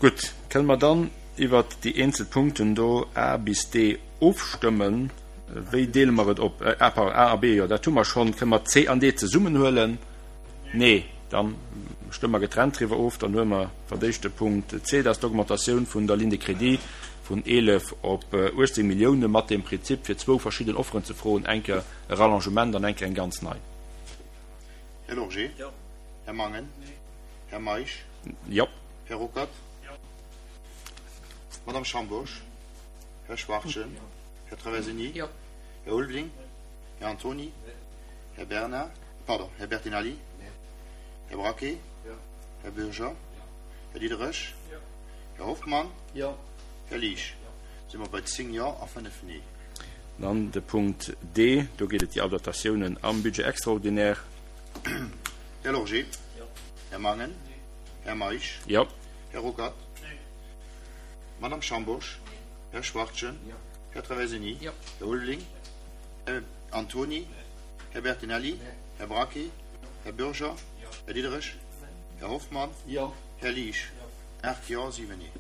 Gutt, kënne mer dann iwwert déi eenzel Punkten do A bis D ofstëmmen? Wéi deele mer et op? A, pardon, A a B, jo, dat hu mer schonn. Kënne mer C an D zesummen huelen? Nee, da stëmme mer getrennt driwwer of. Dann huele mer fir d'éischt de Punkt C, dat ass d'Augmentatioun vun der Ligne de crédit vun 11 op 18 Millioune mat dem Prinzip, fir zwou verschidden Offeren ze froen, eng Kéier e Rallongement an eng Kéier eng ganz nei. Här Lorgé? Jo. Här Mangen? Nee. Här Meisch? Jo. Här Ruckert? Jo. Madame Schambourg? Här Schwachtgen? Jo. Här Traversini? Jo. Här Ulveling? Här Antony? Nee. Här Bernard? Pardon, Här Bertinelli? Nee. Här Braquet? Jo. Här Bürger? Jo. Här Diderich? Jo. Här Hoffmann? Jo. Här Liesch? Jo. Si mer bei 10 Jo a 5 Nee. Dann de Punkt D, do geet et déi Adaptatiounen am Budget extraordinaire. Här Lorgé? Jo. Här Mangen? Nee. Här Meisch? Jo. Här Ruckert? Nee. Madame Schambourg? Nee. Här Schwachtgen? Jo. Här Traversini? Jo. Här Ulveling? Här Antony? Nee. Här Bertinelli? Nee. Här Braquet? Jo. Här Bürger? Jo. Här Diderich? Nee. Här Hoffmann? Jo. Här Liesch? Jo. 8 Jo, 7 Nee.